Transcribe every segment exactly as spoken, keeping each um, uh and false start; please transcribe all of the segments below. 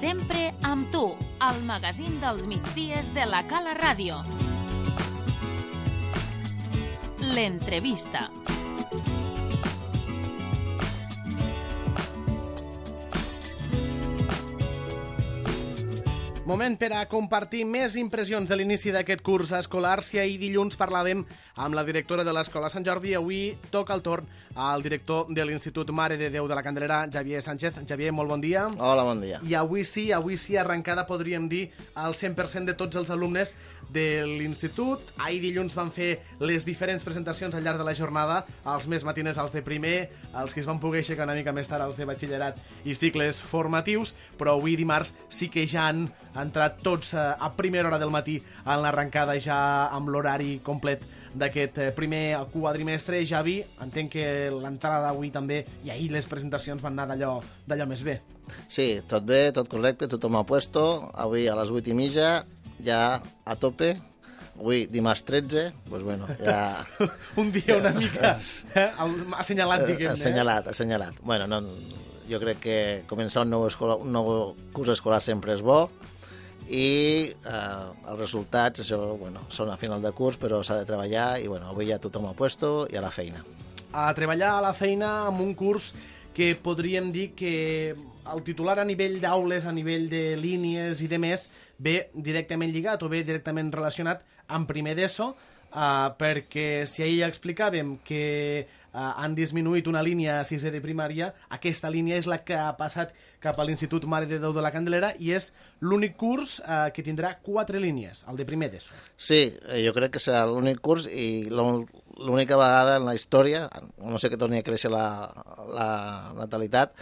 Sempre amb tu, al magazín dels migdies de la Cala Ràdio. L'entrevista. Moment per a compartir més impressions de l'inici d'aquest curs escolar. Si ahir dilluns parlàvem amb la directora de l'Escola Sant Jordi, avui toca el torn al director de l'Institut Mare de Déu de la Candelera, Xavier Sánchez. Xavier, molt bon dia. Hola, bon dia. I avui sí, avui sí, arrencada, podríem dir, al cent per cent de tots els alumnes de l'Institut. Ahir dilluns van fer les diferents presentacions al llarg de la jornada, els més matines als de primer, els que es van poder aixecar una mica més tard als de batxillerat i cicles formatius, però avui dimarts sí que ja han entrat tots a primera hora del matí en l'arrencada, ja amb l'horari complet d'aquest primer quadrimestre. Javi, entenc que l'entrada d'avui també, i ahir les presentacions van anar d'allò d'allò més bé. Sí, tot bé, tot correcte, tothom a puesto. Avui a les vuit i mitja, ja a tope. Avui, dimarts tretze, doncs bueno, ja... Un dia una mica eh, assenyalat, diguem-ne. Assenyalat, assenyalat. Bueno, no, jo crec que començar un nou, escola, un nou curs escolar sempre és bo, i eh, els resultats, això, bueno, són a final de curs, però s'ha de treballar i bueno, avui ja tothom a puesto i a la feina. A treballar a la feina amb un curs que podríem dir que el titular a nivell d'aules, a nivell de línies i de més, ve directament lligat o ve directament relacionat amb primer d'ESO, eh, perquè si ahir ja explicàvem que Uh, han disminuït una línia a sisè de primària, aquesta línia és la que ha passat cap a l'Institut Mare de Déu de la Candelera i és l'únic curs uh, que tindrà quatre línies, el de primer d'ESO. Sí, jo crec que serà l'únic curs i l'única vegada en la història, no sé que torni a créixer la, la natalitat,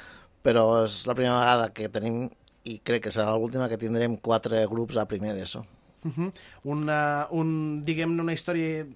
però és la primera vegada que tenim, i crec que serà l'última, que tindrem quatre grups a primer d'ESO. Uh-huh. una, un, diguem-ne, una història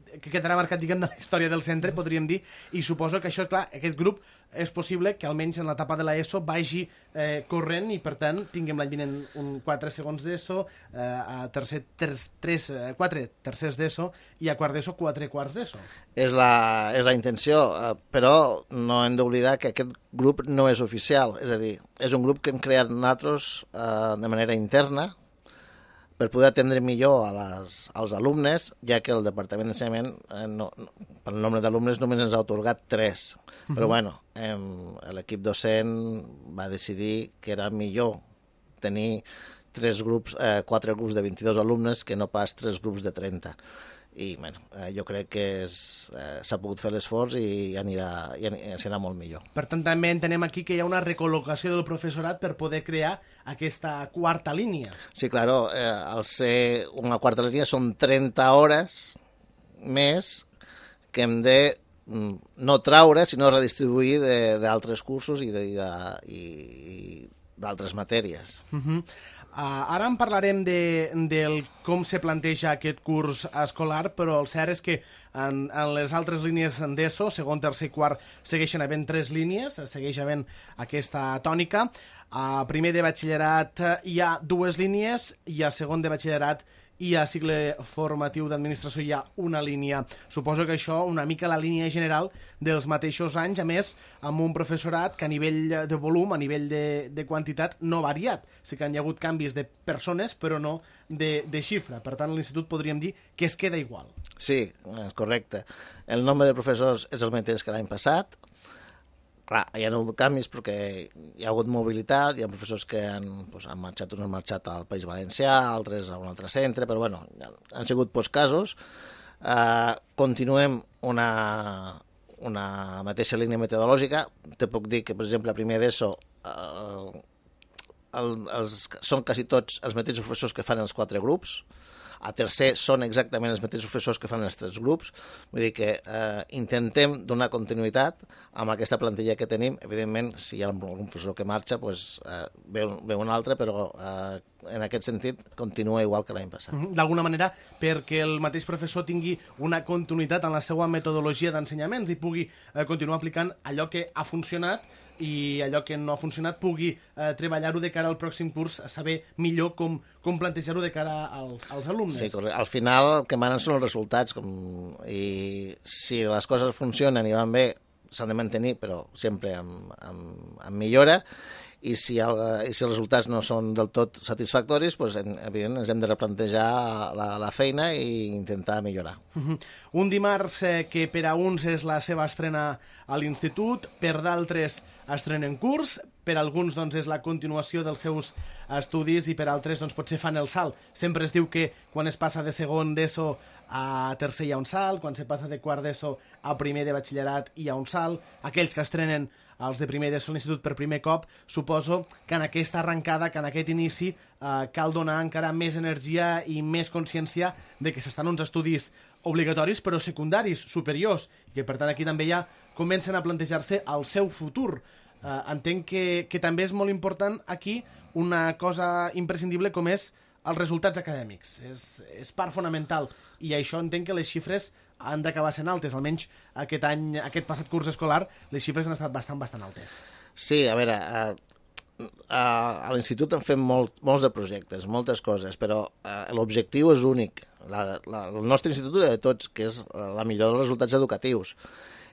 que quedarà marcat, diguem, de la història del centre, podríem dir, i suposo que això, clar, aquest grup és possible que almenys en l'etapa de l'ESO vagi eh, corrent i, per tant, tinguem l'any vinent un quatre segons d'ESO, eh, a tercer, tres, tres, eh, quatre tercers d'ESO i a quart d'ESO quatre quarts d'ESO. És la, és la intenció, eh, però no hem d'oblidar que aquest grup no és oficial, és a dir, és un grup que hem creat nosaltres eh, de manera interna, per poder atendre millor a les, als alumnes, ja que el Departament d'Ensenyament, eh, no, no, per el nombre d'alumnes, només ens ha atorgat tres. Uh-huh. Però bueno, eh, l'equip docent va decidir que era millor tenir tres grups, eh, quatre grups de vint-i-dos alumnes que no pas tres grups de trenta. I bueno, eh, jo crec que és, eh, s'ha pogut fer l'esforç i anirà, i serà molt millor. Per tant, també entenem aquí que hi ha una recol·locació del professorat per poder crear aquesta quarta línia. Sí, claro, eh, al ser una quarta línia són trenta hores més que hem de no traure, sinó redistribuir d'altres cursos i d'altres matèries. Uh-huh. Uh, ara en parlarem de, del com se planteja aquest curs escolar, però el cert és que en, en les altres línies d'ESO, segon, tercer i quart, segueixen havent tres línies, segueix havent aquesta tònica. A primer de batxillerat hi ha dues línies i a segon de batxillerat i a cicle formatiu d'administració hi ha una línia. Suposo que això, una mica la línia general dels mateixos anys, a més, amb un professorat que a nivell de volum, a nivell de, de quantitat, no ha variat. Sí que hi ha hagut canvis de persones, però no de, de xifra. Per tant, a l'institut podríem dir que es queda igual. Sí, és correcte. El nombre de professors és el mateix que l'any passat. Clar, hi ha hagut canvis perquè hi ha hagut mobilitat, hi ha professors que han, doncs, han marxat, uns han marxat al País Valencià, altres a un altre centre, però bueno, han sigut pocs casos. Uh, continuem una, una mateixa línia metodològica. Te puc dir que, per exemple, a primer d'ESO uh, el, els, són quasi tots els mateixos professors que fan els quatre grups. A tercer són exactament els mateixos professors que fan els tres grups. Vull dir que eh, intentem donar continuïtat amb aquesta plantilla que tenim. Evidentment, si hi ha algun professor que marxa, doncs, eh, ve, ve un altre, però eh, en aquest sentit continua igual que l'any passat. D'alguna manera, perquè el mateix professor tingui una continuïtat en la seva metodologia d'ensenyaments i pugui eh, continuar aplicant allò que ha funcionat i allò que no ha funcionat pugui eh, treballar-ho de cara al pròxim curs, saber millor com, com plantejar-ho de cara als, als alumnes. Sí, correcte. Al final el que manen són els resultats, com... i si les coses funcionen i van bé, s'han de mantenir, però sempre amb, amb, amb millora, i si, el, i si els resultats no són del tot satisfactoris, doncs, evidentment, ens hem de replantejar la, la feina i intentar millorar. Uh-huh. Un dimarts eh, que per a uns és la seva estrena a l'institut, per d'altres estrenen curs, per alguns doncs, és la continuació dels seus estudis i per altres doncs, potser fan el salt. Sempre es diu que quan es passa de segon d'ESO a tercer hi ha un salt, quan se passa de quart d'ESO a primer de batxillerat hi ha un salt. Aquells que estrenen els de primer d'ESO a l'institut per primer cop, suposo que en aquesta arrencada, que en aquest inici, eh, cal donar encara més energia i més consciència de que s'estan uns estudis obligatoris però secundaris, superiors, i que per tant aquí també ja comencen a plantejar-se el seu futur. Uh, entenc que, que també és molt important aquí una cosa imprescindible com és els resultats acadèmics. És, és part fonamental i això entenc que les xifres han d'acabar sent altes. Almenys aquest any, aquest passat curs escolar, les xifres han estat bastant, bastant altes. Sí, a veure, a, a, a l'institut han fet molt, molts de projectes, moltes coses, però a, l'objectiu és únic. La, la, el nostre institut de tots, que és la millora dels resultats educatius.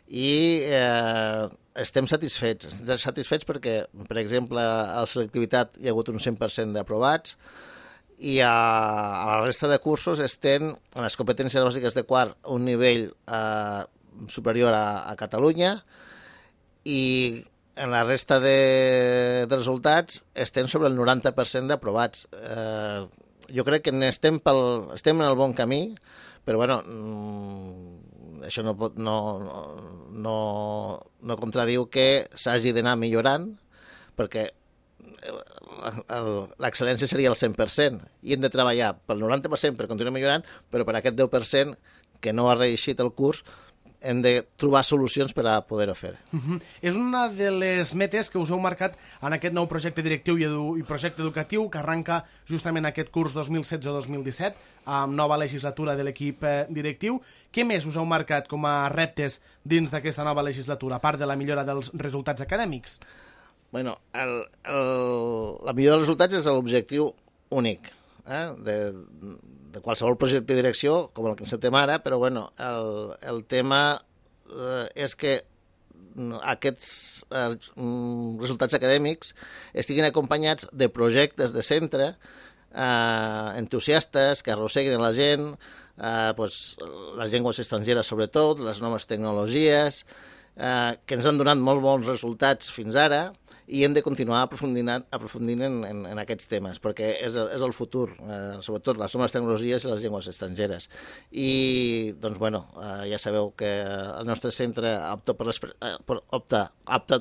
I eh, estem satisfets. Estem satisfets perquè, per exemple, a la selectivitat hi ha hagut un cent per cent d'aprovats i a, a la resta de cursos estem en les competències bàsiques de quart un nivell eh, superior a, a Catalunya i en la resta de, de resultats estem sobre el noranta per cent d'aprovats. Eh, jo crec que estem, pel, estem en el bon camí, però bueno, això no, pot, no, no, no contradiu que s'hagi d'anar millorant, perquè l'excel·lència seria el cent per cent i hem de treballar pel noranta per cent per continuar millorant, però per aquest deu per cent que no ha reeixit el curs hem de trobar solucions per a poder-ho fer. Uh-huh. És una de les metes que us heu marcat en aquest nou projecte directiu i, edu i projecte educatiu que arranca justament aquest curs dos mil setze dos mil disset, amb nova legislatura de l'equip eh, directiu. Què més us heu marcat com a reptes dins d'aquesta nova legislatura, a part de la millora dels resultats acadèmics? Bueno, el, el, la millora dels resultats és l'objectiu únic eh, de, de qualsevol projecte de direcció, com el que encetem ara, però bueno, el, el tema eh, és que aquests eh, resultats acadèmics estiguin acompanyats de projectes de centre eh, entusiastes que arrosseguin la gent, eh, pues, les llengües estrangeres sobretot, les noves tecnologies, eh, que ens han donat molt bons resultats fins ara, i hem de continuar aprofundint, aprofundint en, en, en aquests temes, perquè és el, és el futur, eh, sobretot les noves tecnologies i les llengües estrangeres. I, doncs, bueno, eh, ja sabeu que el nostre centre opta per per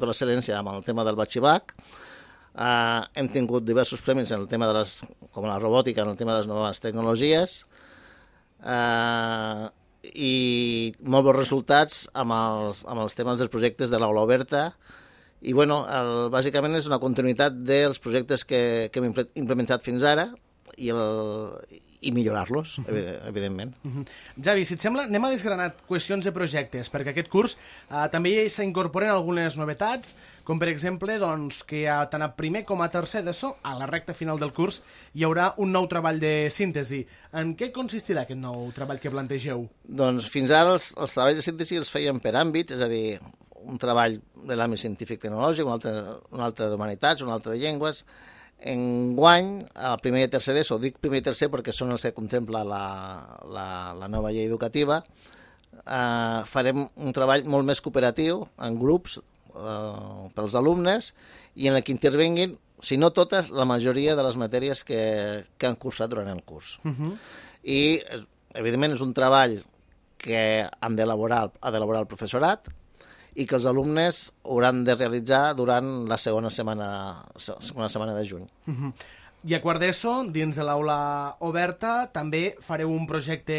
l'excel·lència amb el tema del batxibac. Eh, hem tingut diversos premis en el tema de les, com la robòtica, en el tema de les noves tecnologies, eh, i molt bons resultats amb els, amb els temes dels projectes de l'aula oberta. I, bueno, el, bàsicament és una continuïtat dels projectes que, que hem implementat fins ara i, el, i millorar-los, uh-huh. evidentment. Uh-huh. Javi, si et sembla, anem a desgranar qüestions de projectes, perquè aquest curs eh, també s'incorporen algunes novetats, com per exemple doncs, que a, tant a primer com a tercer d'ESO, a la recta final del curs, hi haurà un nou treball de síntesi. En què consistirà aquest nou treball que plantegeu? Doncs fins ara els, els treballs de síntesi els feien per àmbits, és a dir, un treball de l'àmbit científic-tecnològic, un altre, un altre d'humanitats, un altre de llengües. Enguany, al primer i tercer d'ESO, dic primer i tercer perquè són els que contempla la, la, la nova llei educativa, eh, farem un treball molt més cooperatiu, en grups, eh, pels alumnes, i en el que intervenguin, si no totes, la majoria de les matèries que, que han cursat durant el curs. Uh-huh. I, evidentment, és un treball que han d'elaborar ha d'elaborar el professorat, i que els alumnes hauran de realitzar durant la segona setmana, segona setmana de juny. Uh-huh. I a quart d'ESO, dins de l'aula oberta, també fareu un projecte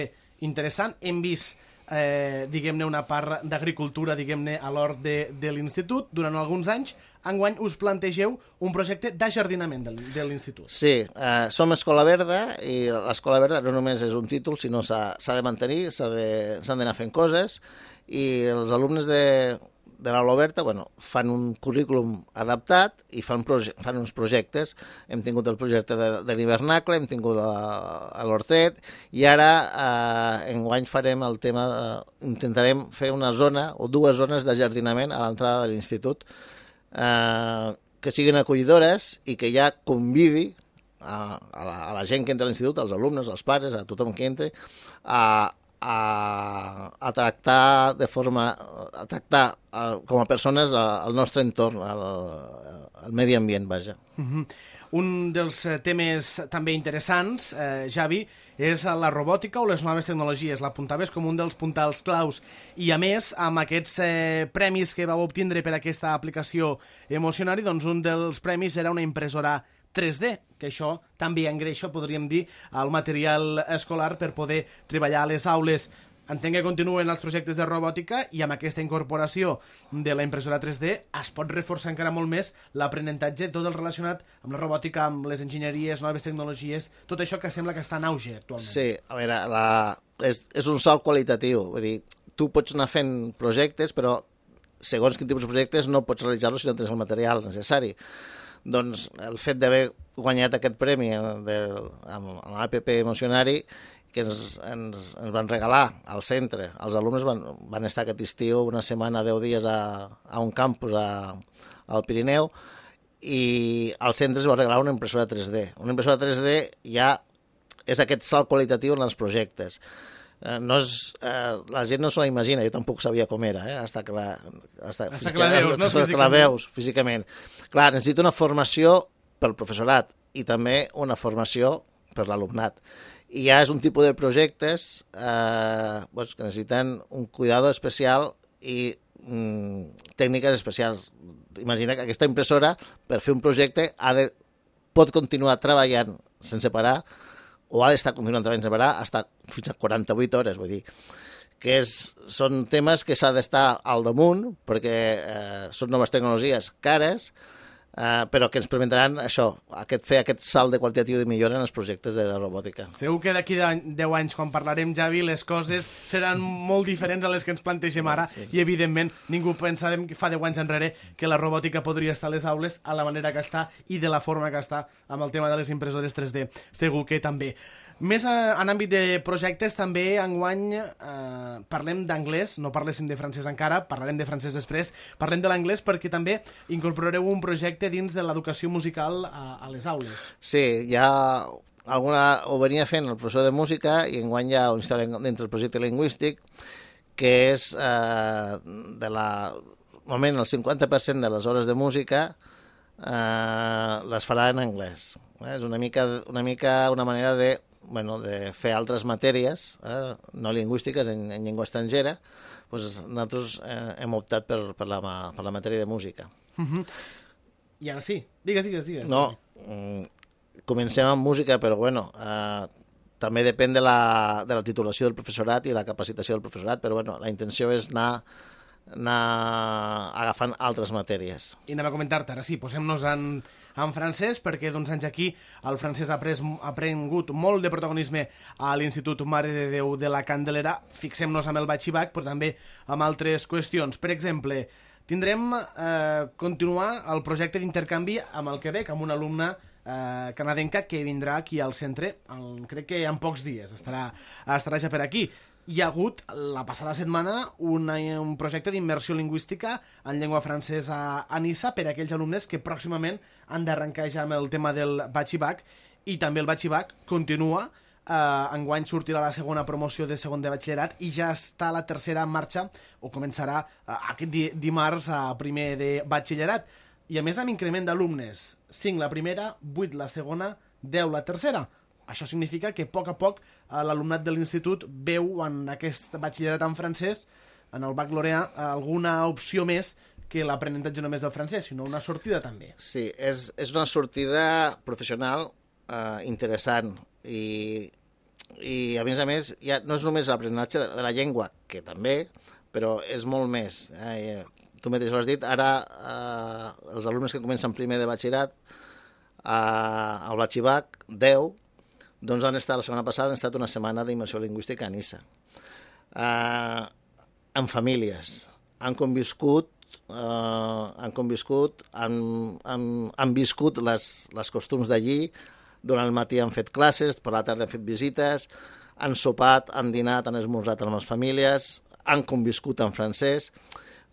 interessant. Hem vist, eh, diguem-ne, una part d'agricultura, diguem-ne, a l'hort de, de l'institut durant alguns anys. Enguany us plantegeu un projecte d'ajardinament de, de l'institut. Sí, eh, som Escola Verda i l'Escola Verda no només és un títol, sinó s'ha de mantenir, s'han d'anar fent coses, i els alumnes de, de l'aula oberta bueno, fan un currículum adaptat i fan, fan uns projectes. Hem tingut el projecte de, de l'hivernacle, hem tingut a, a l'hortet, i ara eh, enguany farem el tema, de, intentarem fer una zona o dues zones d'ajardinament a l'entrada de l'institut, eh, que siguin acollidores i que ja convidi a, a, la, a la gent que entra a l'institut, als alumnes, als pares, a tothom que entri, a, a, a tractar de forma, a tractar a, com a persones al nostre entorn, al, al medi ambient, vaja. Uh-huh. Un dels temes també interessants, eh, Javi, és la robòtica o les noves tecnologies. L'apuntaves com un dels puntals claus. I, a més, amb aquests eh, premis que vau obtindre per aquesta aplicació Emocionari, doncs un dels premis era una impressora tres D, que això també engreixa, podríem dir, el material escolar per poder treballar a les aules. Entenc que continuen els projectes de robòtica i amb aquesta incorporació de la impressora tres D es pot reforçar encara molt més l'aprenentatge, tot el relacionat amb la robòtica, amb les enginyeries, noves tecnologies, tot això que sembla que està en auge actualment. Sí, a veure, la... és, és un salt qualitatiu. Vull dir, tu pots anar fent projectes, però segons quin tipus de projectes no pots realitzar-los si no tens el material necessari. Doncs el fet d'haver guanyat aquest premi de, amb l'App Emocionari, que ens, ens, ens van regalar al centre. Els alumnes van, van estar aquest estiu una setmana, deu dies a, a un campus a, al Pirineu i al centre es va regalar una impressora tres D. Una impressora tres D ja és aquest salt qualitatiu en els projectes. Eh, no és, eh, la gent no se la imagina, jo tampoc sabia com era, eh? Hasta que la, hasta, hasta que la veus, no? Físicament. Que la veus físicament. Clar, necessita una formació pel professorat i també una formació per l'alumnat. I ja és un tipus de projectes eh, doncs, que necessiten un cuidado especial i mm, tècniques especials. Imagina que aquesta impressora, per fer un projecte, ha de, pot continuar treballant sense parar o ha d'estar continuant treballant sense parar hasta fins a quaranta-vuit hores. Vull dir que és, són temes que s'ha d'estar al damunt perquè eh, són noves tecnologies cares, Uh, però que ens permetran això, aquest, fer aquest salt de qualitatiu de millora en els projectes de, de robòtica. Segur que d'aquí a deu anys, quan parlarem, Javi, les coses seran molt diferents a les que ens plantegem ara, sí, sí. I evidentment ningú pensàvem que fa deu anys enrere que la robòtica podria estar a les aules a la manera que està i de la forma que està amb el tema de les impressores tres D. Segur que també. Més en àmbit de projectes, també enguany eh, parlem d'anglès, no parléssim de francès encara, parlarem de francès després, parlem de l'anglès perquè també incorporareu un projecte dins de l'educació musical a, a les aules. Sí, ja alguna, ho venia fent el professor de música i enguany hi ha una història dintre del projecte lingüístic que és eh, de la... Normalment el cinquanta per cent de les hores de música eh, les farà en anglès. Eh? És una mica, una mica una manera de bueno, de fer altres matèries eh, no lingüístiques en, en llengua estrangera, doncs nosaltres eh, hem optat per, per, la, per la matèria de música. Uh-huh. I ara sí, digues, digues, digues. No, mm, comencem amb música, però bueno, eh, també depèn de la, de la titulació del professorat i la capacitació del professorat, però bueno, la intenció és anar anar agafant altres matèries. I anem a comentar-te, ara sí, posem-nos en, en francès, perquè d'uns anys aquí el francès ha, pres, ha prengut molt de protagonisme a l'Institut Mare de Déu de la Candelera. Fixem-nos amb el batxibac, però també amb altres qüestions. Per exemple, tindrem eh, continuar el projecte d'intercanvi amb el Quebec, amb una alumna eh, canadenca que vindrà aquí al centre, el, crec que en pocs dies estarà, estarà ja per aquí. Hi ha hagut, la passada setmana, una, un projecte d'immersió lingüística en llengua francesa a Niça per a aquells alumnes que pròximament han d'arrencar ja amb el tema del batxibac, i també el batxibac continua. Eh, enguany sortirà la segona promoció de segon de batxillerat i ja està la tercera en marxa, o començarà eh, aquest di dimarts a primer de batxillerat. I a més amb increment d'alumnes, cinc la primera, vuit la segona, deu la tercera. Això significa que a poc a poc l'alumnat de l'institut veu en aquest batxillerat en francès, en el baccalaureat, alguna opció més que l'aprenentatge només del francès, sinó una sortida també. Sí, és, és una sortida professional eh, interessant i, i a més a més ja no és només l'aprenentatge de, de la llengua, que també, però és molt més. Eh, tu mateix ho has dit, ara eh, els alumnes que comencen primer de batxillerat eh, al batxibac, deu, doncs han estat, la setmana passada, han estat una setmana d'immersió lingüística a Niça. Uh, en famílies. Han conviscut, uh, han conviscut, han, han, han viscut les, les costums d'allí, durant el matí han fet classes, per la tarda han fet visites, han sopat, han dinat, han esmorzat amb les famílies, han conviscut en francès.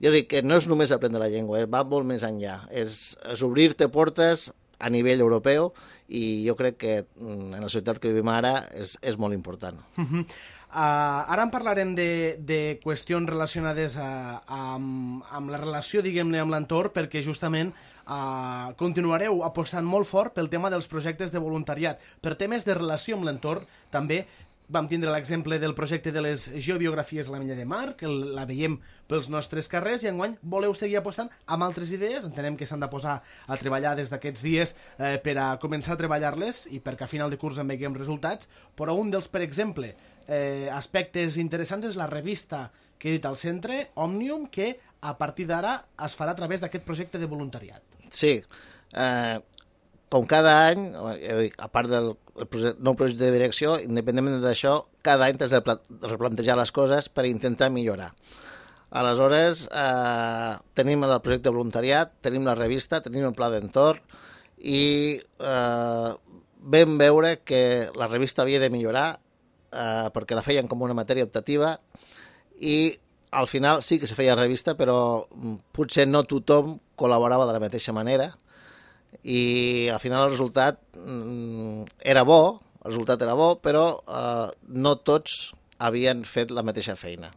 jo dic que no és només aprendre la llengua, eh? Va molt més enllà. És, és obrir-te portes a nivell europeu i jo crec que en la societat que vivim ara és, és molt important. Uh-huh. Uh, ara en parlarem de, de qüestions relacionades a, a, amb, amb la relació, diguem-ne, amb l'entorn, perquè justament uh, continuareu apostant molt fort pel tema dels projectes de voluntariat. Per temes de relació amb l'entorn, també vam tindre l'exemple del projecte de les geobiografies a la Milla de Mar, que la veiem pels nostres carrers, i enguany voleu seguir apostant amb altres idees. Entenem que s'han de posar a treballar des d'aquests dies eh, per a començar a treballar-les i perquè a final de curs en veiem resultats, però un dels, per exemple, eh, aspectes interessants és la revista que he dit al centre, Òmnium, que a partir d'ara es farà a través d'aquest projecte de voluntariat. Sí, eh, com cada any, a part del nou projecte de direcció, independentment d'això, cada any t'has de replantejar les coses per intentar millorar. Aleshores, eh, tenim el projecte de voluntariat, tenim la revista, tenim el pla d'entorn i eh, vam veure que la revista havia de millorar eh, perquè la feien com una matèria optativa i al final sí que se feia revista, però potser no tothom col·laborava de la mateixa manera i al final el resultat mm, era bo, el resultat era bo, però eh, no tots havien fet la mateixa feina.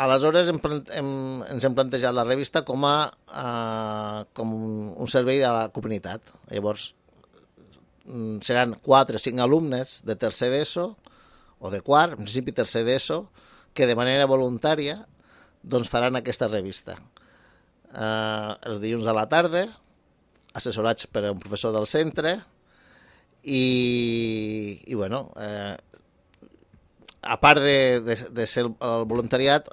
Aleshores hem, hem, ens hem plantejat la revista com a eh, com un servei a la comunitat. Llavors mm, seran quatre o cinc alumnes de tercer d'ESO o de quart, en principi tercer d'ESO, que de manera voluntària doncs faran aquesta revista. Eh, els dilluns a la tarda, assessorats per un professor del centre i, i bueno, eh, a part de, de, de ser el voluntariat,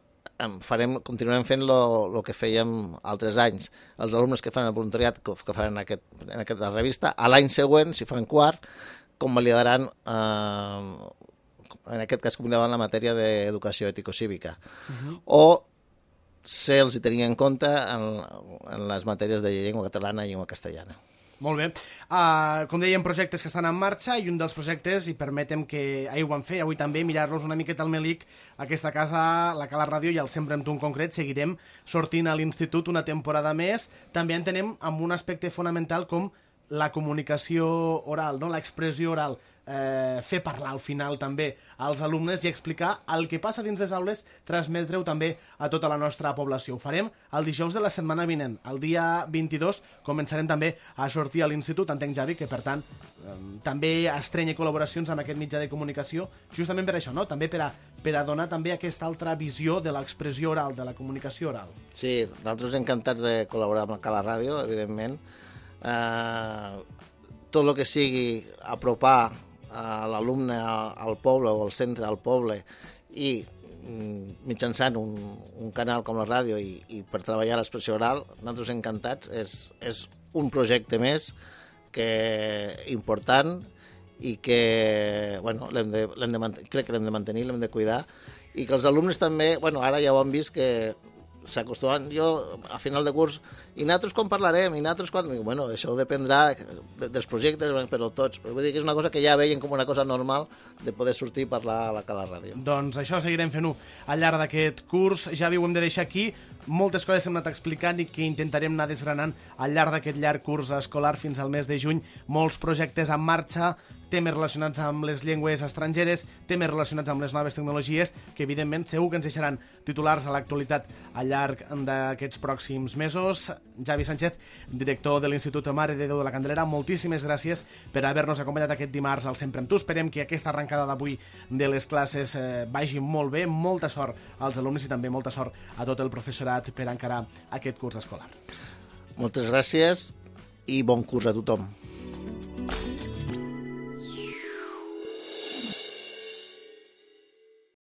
farem, continuarem fent el que fèiem altres anys. Els alumnes que fan el voluntariat, que, que faran aquest, en aquesta revista, a l'any següent, si fan quart, convalidaran, eh, en aquest cas, convalidaran la matèria d'educació ètico-cívica. Uh-huh. O se'ls hi tenia en compte en, en les matèries de llengua catalana i llengua castellana. Molt bé. Uh, com dèiem, projectes que estan en marxa i un dels projectes, i permetem que ahir ho vam fer, avui també, mirar-los una miqueta al Melic, aquesta casa, la Cala Ràdio i el Sempre amb tu en concret, seguirem sortint a l'institut una temporada més. També entenem amb un aspecte fonamental com la comunicació oral, no? L'expressió oral. Eh, fer parlar al final també als alumnes i explicar el que passa dins les aules, transmetre-ho també a tota la nostra població. Ho farem el dijous de la setmana vinent. El dia vint-i-dos començarem també a sortir a l'institut, entenc, Javi, que per tant eh, també estrenya col·laboracions amb aquest mitjà de comunicació, justament per això, no? També per a, per a donar també aquesta altra visió de l'expressió oral, de la comunicació oral. Sí, nosaltres encantats de col·laborar amb la Cala Ràdio, evidentment. Eh, tot el que sigui apropar a l'alumne al poble o al centre al poble i mitjançant un, un canal com la ràdio i, i per treballar l'expressió oral, nosaltres encantats. És, és un projecte més que important i que bueno, l'hem de, l'hem de mantenir, crec que l'hem de mantenir, l'hem de cuidar i que els alumnes també, bueno, ara ja ho han vist que s'acostumen, jo a final de curs, i nosaltres quan parlarem, i nosaltres quan... Bueno, això dependrà de, dels projectes, però tots. Però vull dir que és una cosa que ja veien com una cosa normal de poder sortir i parlar a la Cala Ràdio. Doncs això seguirem fent-ho al llarg d'aquest curs. Ja ho hem de deixar aquí. Moltes coses hem anat explicant i que intentarem anar desgranant al llarg d'aquest llarg curs escolar fins al mes de juny. Molts projectes en marxa, temes relacionats amb les llengües estrangeres, temes relacionats amb les noves tecnologies, que evidentment segur que ens deixaran titulars a l'actualitat al llarg d'aquests pròxims mesos. Javi Sánchez, director de l'Institut Mare de Déu de la Candelera, moltíssimes gràcies per haver-nos acompanyat aquest dimarts al Sempre amb tu. Esperem que aquesta arrencada d'avui de les classes eh, vagi molt bé, molta sort als alumnes i també molta sort a tot el professorat per encarar aquest curs escolar. Moltes gràcies i bon curs a tothom.